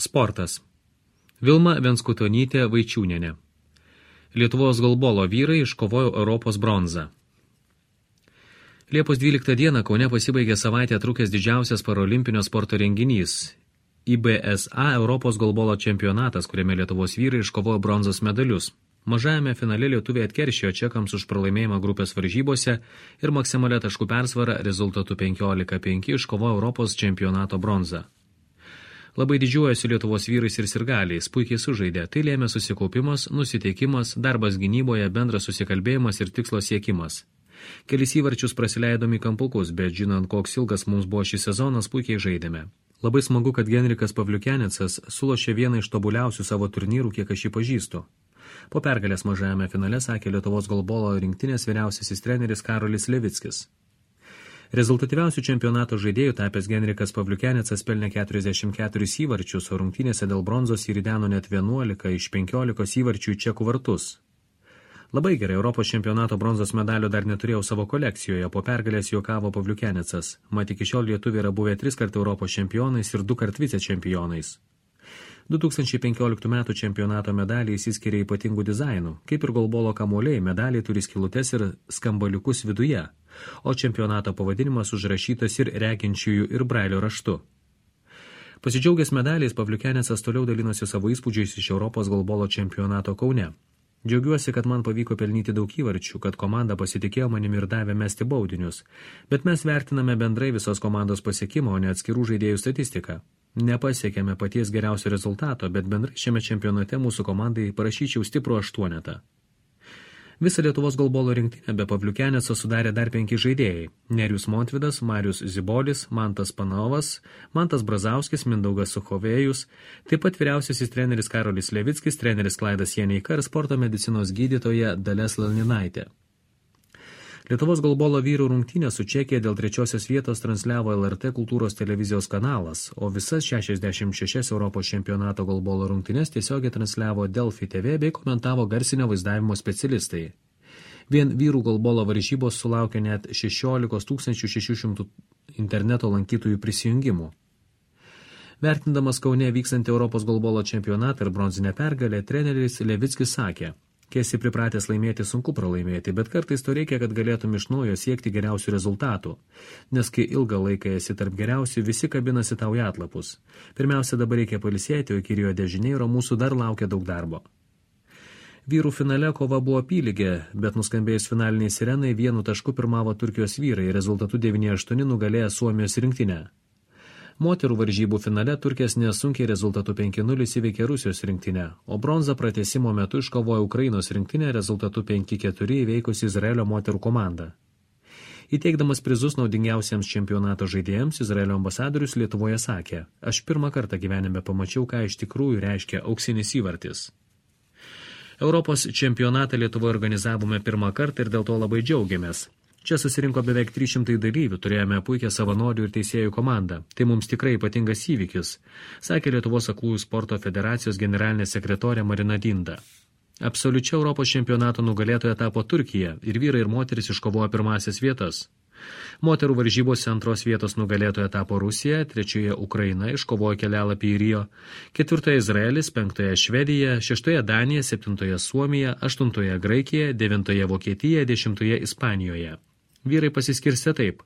Sportas. Vilma Venskutonytė Vaičiūnienė. Lietuvos golbolo vyrai iškovojo Europos bronzą. Liepos 12 dieną Kaune pasibaigė savaitę trukęs didžiausias parolimpinio sporto renginys – IBSA Europos golbolo čempionatas, kuriame Lietuvos vyrai iškovojo bronzos medalius. Mažajame finale lietuviai atkeršijo čekams už pralaimėjimą grupės varžybose ir maksimalia taškų persvara rezultatu 15-5 iškovojo Europos čempionato bronzą. Labai didžiuojasi Lietuvos vyrais ir sirgaliais, puikiai sužaidė, tai lėmė susikaupimas, nusiteikimas, darbas gynyboje, bendras susikalbėjimas ir tikslo siekimas. Kelis įvarčius prasileidom į kampukus, bet žinant, koks ilgas mums buvo šis sezonas, puikiai žaidėme. Labai smagu, kad Genrikas Pavliukenecas sulošė vieną iš tobuliausių savo turnyrų, kiek aš jį pažįstu. Po pergalės mažajame finale sakė Lietuvos golbolo rinktinės vyriausiasis treneris Karolis Levickis. Rezultatyviausių čempionato žaidėjų tapęs Genrikas Pavliukenecas pelnė 44 įvarčius, o rungtynėse dėl bronzos įrideno net 11 iš 15 įvarčių į čekų vartus. Labai gerai, Europos čempionato bronzos medalio dar neturėjau savo kolekcijoje, po pergalės juokavo Pavliukenecas. Mat iki šiol lietuviai yra buvę 3 kart Europos čempionais ir 2 kart vicečempionais. 2015 metų čempionato medaliai įsiskiria ypatingų dizainų. Kaip ir golbolo kamuoliai, medaliai turi skylutes ir skambaliukus viduje, o čempionato pavadinimas užrašytas ir reginčiųjų ir brailio raštu. Pasidžiaugęs medaliais, Pavliukenecas toliau dalinosi savo įspūdžiais iš Europos golbolo čempionato Kaune. Džiaugiuosi, kad man pavyko pelnyti daug įvarčių, kad komanda pasitikėjo manimi ir davė mesti baudinius, bet mes vertiname bendrai visos komandos pasiekimą, o ne atskirų žaidėjų statistiką. Nepasiekėme paties geriausio rezultato, bet bendrai šiame čempionate mūsų komandai parašyčiau stiprų 8. Visą Lietuvos golbolo rinktinę be Pavliukeneco sudarė dar 5 žaidėjai – Nerijus Montvydas, Marius Zibolis, Mantas Panovas, Mantas Brazauskis, Mindaugas Suchovėjus, taip pat vyriausiasis treneris Karolis Levickis, treneris Klaidas Janeika ir sporto medicinos gydytoja Dalia Slaninaitė. Lietuvos golbolo vyrų rungtynės su Čekija dėl 3 vietos transliavo LRT kultūros televizijos kanalas, o visas 66 Europos čempionato golbolo rungtynės tiesiogiai transliavo Delfi TV bei komentavo garsinio vaizdavimo specialistai. Vien vyrų golbolo varžybos sulaukė net 16 600 interneto lankytojų prisijungimų. Vertindamas Kaune vykstantį Europos golbolo čempionatą ir bronzinę pergalę, treneris Levickis sakė: kai esi pripratęs laimėti, sunku pralaimėti, bet kartais to reikia, kad galėtum iš naujo siekti geriausių rezultatų. Nes kai ilgą laiką esi tarp geriausių, visi kabinasi tau į atlapus. Pirmiausia, dabar reikia pailsėti, o iki Rio de Janeiro mūsų dar laukia daug darbo. Vyrų finale kova buvo apylygė, bet nuskambėjus finaliniai sirenai 1 tašku pirmavo Turkijos vyrai, rezultatu 9-8 nugalėjo Suomijos rinktinę. Moterų varžybų finale Turkės nesunkiai rezultatu 5-0 įveikė Rusijos rinktinę, o bronzą pratęsimo metu iškovojo Ukrainos rinktinę rezultatu 5-4 įveikusi Izraelio moterų komandą. Įteikdamas prizus naudingiausiems čempionato žaidėjams, Izraelio ambasadorius Lietuvoje sakė: aš pirmą kartą gyvenime pamačiau, ką iš tikrųjų reiškia auksinis įvartis. Europos čempionatą Lietuvoje organizavome pirmą kartą ir dėl to labai džiaugiamės. Čia susirinko beveik 300 dalyvių, turėjome puikią savanorių ir teisėjų komandą. Tai mums tikrai ypatingas įvykis, sakė Lietuvos aklųjų sporto federacijos generalinė sekretorė Marina Dinda. Absoliučia Europos čempionato nugalėtoja tapo Turkija ir vyrai ir moteris iškovojo pirmasias vietas. Moterų varžybose 2 vietos nugalėtoja tapo Rusija, 3 Ukraina iškovojo kelialapį į Rio, 4 Izraelis, 5 Švedija, 6 Danija, 7 Suomija, 8 Graikija, 9 Vokietija, 10 Ispanijoje. Vyrai pasiskirstė taip: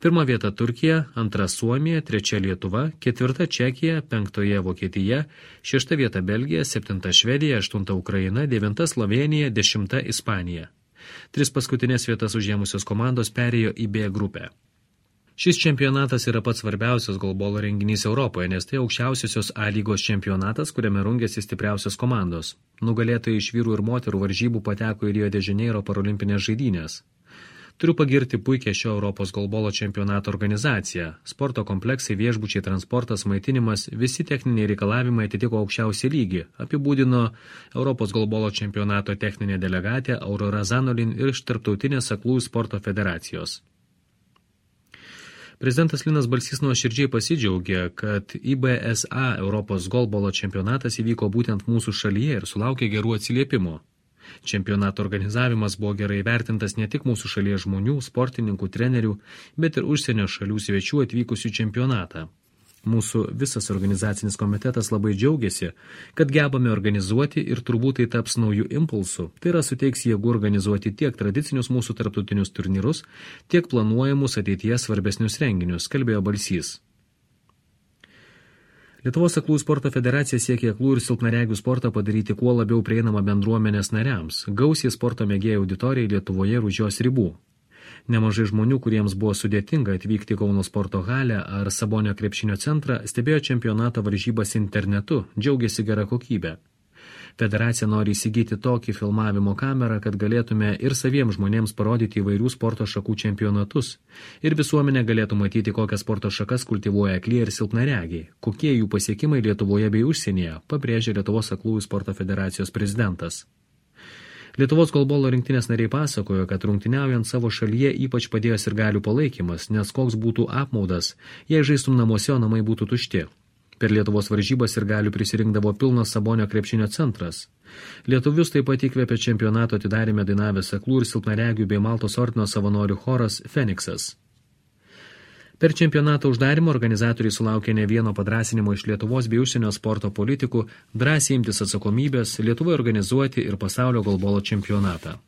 1 vieta Turkija, 2 Suomija, 3 Lietuva, 4 Čekija, 5 Vokietija, 6 vieta Belgija, 7 Švedija, 8 Ukraina, 9 Slovenija, 10 Ispanija. 3 paskutinės vietas užėmusios komandos perėjo į B grupę. Šis čempionatas yra pats svarbiausias golbolo renginys Europoje, nes tai aukščiausiosios A lygos čempionatas, kuriame rungiasi stipriausios komandos. Nugalėtojai iš vyrų ir moterų varžybų pateko į Rio de Janeiro parolimpinės žaidynės. Turiu pagirti puikią šio Europos golbolo čempionato organizaciją. Sporto kompleksai, viešbučiai, transportas, maitinimas, visi techniniai reikalavimai atitiko aukščiausią lygį, apibūdino Europos golbolo čempionato techninė delegatė Aurora Zanolin ir iš Tarptautinės aklųjų sporto federacijos. Prezidentas Linas Balsys nuoširdžiai pasidžiaugė, kad IBSA Europos golbolo čempionatas įvyko būtent mūsų šalyje ir sulaukė gerų atsiliepimų. Čempionato organizavimas buvo gerai vertintas ne tik mūsų šalies žmonių, sportininkų, trenerių, bet ir užsienio šalių svečių atvykusių čempionatą. Mūsų visas organizacinis komitetas labai džiaugiasi, kad gebame organizuoti ir turbūt tai taps naujų impulsų. Tai yra suteiks jėgų organizuoti tiek tradicinius mūsų tarptautinius turnyrus, tiek planuojamus ateityje svarbesnius renginius, kalbėjo Balsys. Lietuvos aklųjų sporto federacija siekia aklų ir silpnaregių sportą padaryti kuo labiau prieinamą bendruomenės nariams, gausiai sporto mėgėjų auditorijai Lietuvoje ir už jos ribų. Nemažai žmonių, kuriems buvo sudėtinga atvykti Kauno sporto halę ar Sabonio krepšinio centrą, stebėjo čempionato varžybas internetu, džiaugiasi gera kokybė. Federacija nori įsigyti tokį filmavimo kamerą, kad galėtume ir saviems žmonėms parodyti įvairių sporto šakų čempionatus ir visuomenė galėtų matyti, kokias sporto šakas kultivuoja aklieji ir silpnaregiai, kokie jų pasiekimai Lietuvoje bei užsienyje, pabrėžė Lietuvos aklųjų sporto federacijos prezidentas. Lietuvos golbolo rinktinės nariai pasakojo, kad rungtyniaujant savo šalyje ypač padėjo sirgalių palaikymas, nes koks būtų apmaudas, jei žaistum namuose, o namai būtų tušti. Per Lietuvos varžybas sirgalių prisirinkdavo pilnas Sabonio krepšinio centras. Lietuvius taip pat įkvėpė čempionato atidarėme dainavęs aklų ir silpnaregių bei Maltos ordino savanorių choras Feniksas. Per čempionato uždarymą organizatoriai sulaukė ne vieno padrąsinimo iš Lietuvos bei užsienio sporto politikų drąsiai imtis atsakomybės Lietuvoje organizuoti ir pasaulio golbolo čempionatą.